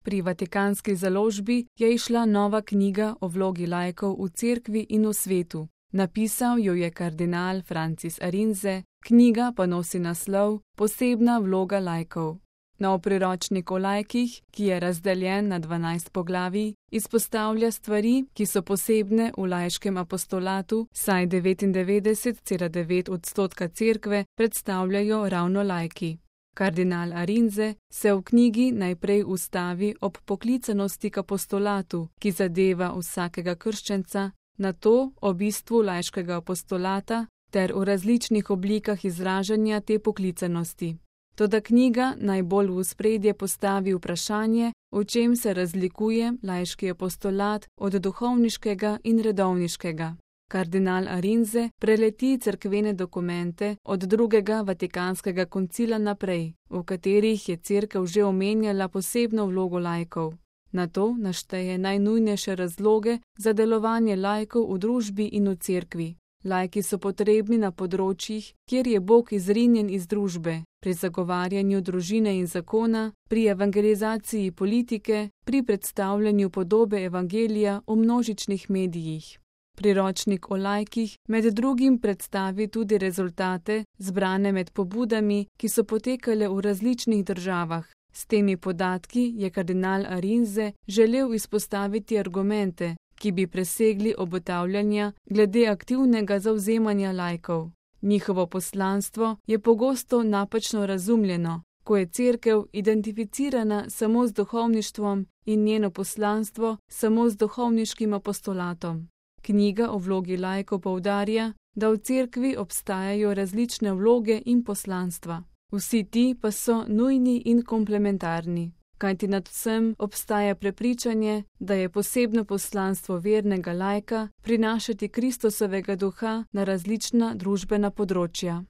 Pri Vatikanski založbi je izšla nova knjiga o vlogi laikov v cerkvi in v svetu. Napisal jo je kardinal Francis Arinze, knjiga pa nosi naslov Posebna vloga laikov. Nov priročnik o laikih, ki je razdeljen na 12 poglavij, izpostavlja stvari, ki so posebne v laiškem apostolatu, saj 99,9% cerkve predstavljajo ravno laiki. Kardinal Arinze se v knjigi najprej ustavi ob poklicanosti k apostolatu, ki zadeva vsakega krščenca, nato o bistvu laiškega apostolata ter o različnih oblikah izražanja te poklicanosti. Toda knjiga najbolj v ospredje postavi vprašanje, v čem se razlikuje laiški apostolat od duhovniškega in redovniškega. Kardinal Arinze preleti cerkvene dokumente od drugega Vatikanskega koncila naprej, v katerih je cerkev že omenjala posebno vlogo laikov. Nato našteje najnujnejše razloge za delovanje laikov v družbi in v cerkvi. Laiki so potrebni na področjih, kjer je Bog izrinjen iz družbe, pri zagovarjanju družine in zakona, pri evangelizaciji politike, pri predstavljanju podobe evangelija v množičnih medijih. Priročnik o laikih med drugim predstavi tudi rezultate, zbrane med pobudami, ki so potekale v različnih državah. S temi podatki je kardinal Arinze želel izpostaviti argumente, ki bi presegli obotavljanja glede aktivnega zavzemanja laikov. Njihovo poslanstvo je pogosto napačno razumljeno, ko je cerkev identificirana samo z duhovništvom in njeno poslanstvo samo z duhovniškim apostolatom. Knjiga o vlogi laikov poudarja, da v cerkvi obstajajo različne vloge in poslanstva. Vsi ti pa so nujni in komplementarni, kajti nad vsem obstaja prepričanje, da je posebno poslanstvo vernega laika prinašati Kristusovega duha na različna družbena področja.